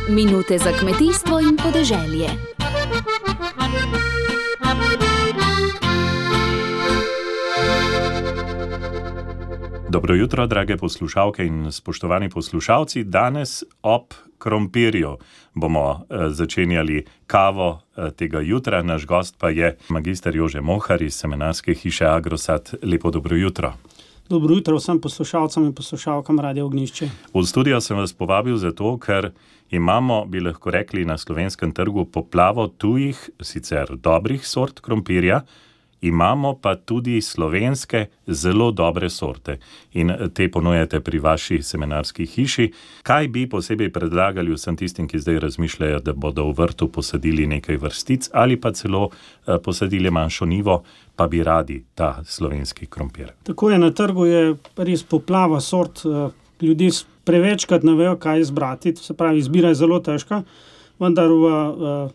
Minute za kmetijstvo in podeželje. Dobro jutro, drage poslušalke in spoštovani poslušalci. Danes ob krompirju bomo začenjali kavo tega jutra. Naš gost pa je magister Jože Mohar iz semenarske hiše Agrosat. Lepo dobro jutro. Dobro jutro vsem poslušalcem in poslušalkam Radia Ognjišče. V studio sem vas povabil zato, ker imamo, bi lahko rekli, na slovenskem trgu poplavo tujih, sicer dobrih sort krompirja, imamo pa tudi slovenske zelo dobre sorte in te ponujate pri vaši semenarski hiši. Kaj bi posebej predlagali vsem tistim, ki zdaj razmišljajo, da bodo v vrtu posadili nekaj vrstic ali pa celo posadili manjšo njivo, pa bi radi ta slovenski krompir? Tako je, na trgu je res poplava sort, ljudje prevečkrat ne vejo, kaj izbrati, se pravi, izbira je zelo težka. Vendar v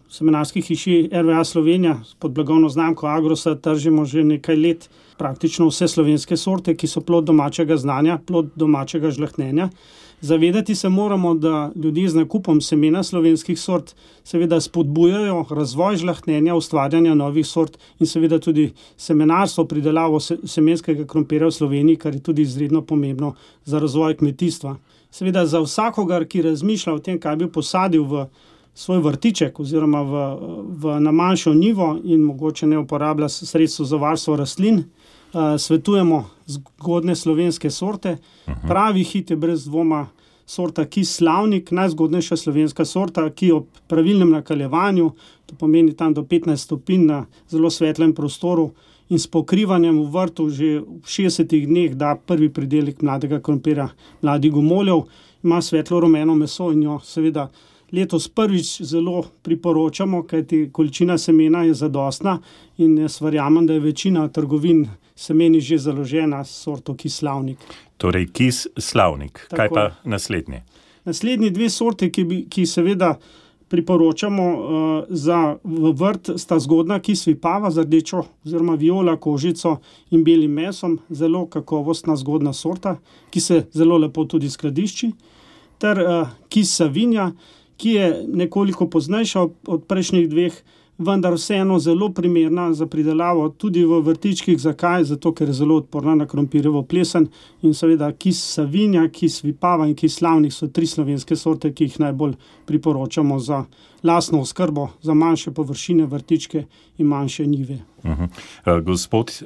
semenarski hiši RVA Slovenija pod blagovno znamko Agrosat tržimo že nekaj let praktično vse slovenske sorte, ki so plod domačega znanja, plod domačega žlahtnjenja. Zavedati se moramo, da ljudje z nakupom semena slovenskih sort seveda spodbujajo razvoj žlahtnjenja, ustvarjanja novih sort in seveda tudi semenarstvo, pridelavo semenskega krompirja v Sloveniji, kar je tudi izredno pomembno za razvoj kmetijstva. Seveda za vsakogar, ki razmišlja o tem, kaj bi posadil v svoj vrtiček oziroma na manjšo njivo in mogoče ne uporablja sredstvo za varstvo rastlin, svetujemo zgodne slovenske sorte. Pravi hit je brez dvoma sorta Kis Slavnik, najzgodnejša slovenska sorta, ki ob pravilnem nakaljevanju, to pomeni tam do 15 stopinj na zelo svetlem prostoru in s pokrivanjem v vrtu že v 60 dneh da prvi pridelek mladega krompirja, mladih gomoljev, ima svetlo rumeno meso in jo seveda letos prvič zelo priporočamo, kajti količina semena je zadostna in jaz verjamem, da je večina trgovin semeni že založena s sorto Kis Slavnik. Torej Kis Slavnik. Kaj pa naslednji? Naslednji dve sorte, ki seveda priporočamo v vrt, sta zgodna Kis Vipava z rdečo oziroma viola kožico in belim mesom, zelo kakovostna zgodna sorta, ki se zelo lepo tudi skladišči, ter Kis Savinja, ki je nekoliko poznejša od prejšnjih dveh, vendar vseeno zelo primerna za pridelavo tudi v vrtičkih. Zakaj? Zato, ker je zelo odporna na krompirjevo plesen in seveda Kis Savinja, Kis Vipava in Kis Slavnik so tri slovenske sorte, ki jih najbolj priporočamo za lastno oskrbo, za manjše površine, vrtičke in manjše njive. Gospod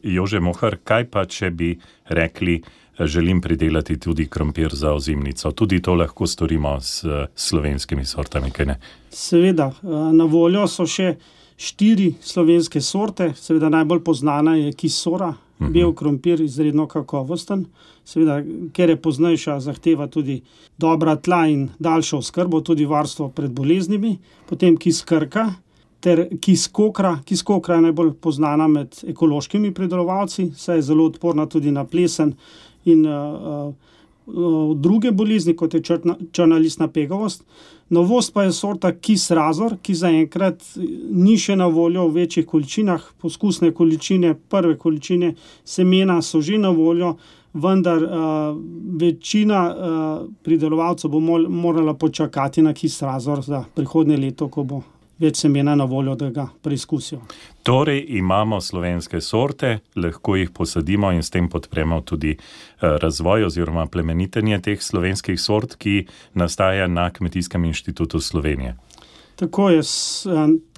Jože Mohar, kaj pa, če bi rekli, želim pridelati tudi krompir za ozimnico? Tudi to lahko storimo s slovenskimi sortami, kaj ne? Seveda, na voljo so še 4 slovenske sorte, seveda najbolj poznana je Kis Sora, bel krompir, izredno kakovosten, seveda, ker je poznejša, zahteva tudi dobra tla in daljšo oskrbo, tudi varstvo pred boleznimi, potem Kis Krka ter Kis Kokra. Kis Kokra je najbolj poznana med ekološkimi pridelovalci, saj je zelo odporna tudi na plesen in druge bolezni, kot je črna listna pegavost. Novost pa je sorta Kis Razor, ki zaenkrat ni še na voljo v večjih količinah. Poskusne količine, prve količine semena so že na voljo, vendar večina pridelovalcev bo morala počakati na Kis Razor za prihodnje leto, ko bo več semena na voljo, da ga preizkusijo. Torej imamo slovenske sorte, lahko jih posadimo in s tem podpremo tudi razvoj oziroma plemenitenje teh slovenskih sort, ki nastaja na Kmetijskem inštitutu Slovenije. Tako je,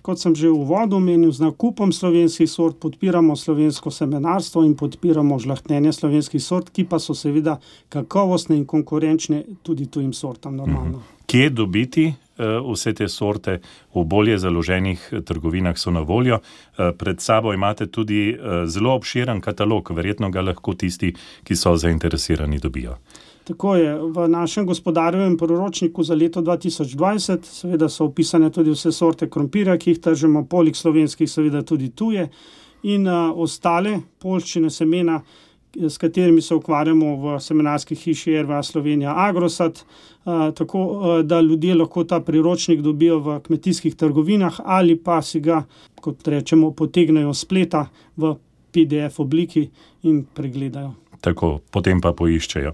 kot sem že v uvodu omenil, z nakupom slovenskih sort podpiramo slovensko semenarstvo in podpiramo žlahtnjenje slovenskih sort, ki pa so seveda kakovostne in konkurenčne tudi tujim sortam normalno. Kje dobiti vse te sorte? V bolje založenih trgovinah so na voljo. Pred sabo imate tudi zelo obširen katalog, verjetno ga lahko tisti, ki so zainteresirani, dobijo. Tako je, v našem gospodarjevem priročniku za leto 2020 seveda so opisane tudi vse sorte krompirja, ki jih tržimo, poleg slovenskih seveda tudi tuje in ostale poljščine semena, s katerimi se ukvarjamo v semenarski hiši RVA Slovenija Agrosat, tako da ljudje lahko ta priročnik dobijo v kmetijskih trgovinah ali pa si ga, kot rečemo, potegnejo s spleta v PDF obliki in pregledajo. Tako, potem pa poiščejo.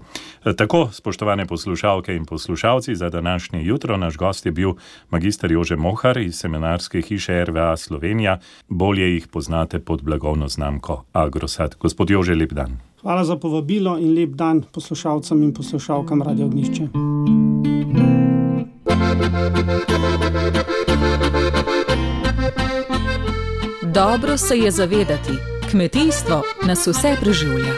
Tako, spoštovane poslušalke in poslušalci, za današnje jutro naš gost je bil magister Jože Mohar iz Semenarske hiše RVA Slovenija. Bolje jih poznate pod blagovno znamko Agrosad. Gospod Jože, lep dan. Hvala za povabilo in lep dan poslušalcem in poslušalkam Radio Ognjišče. Dobro se je zavedati, kmetijstvo nas vse preživlja.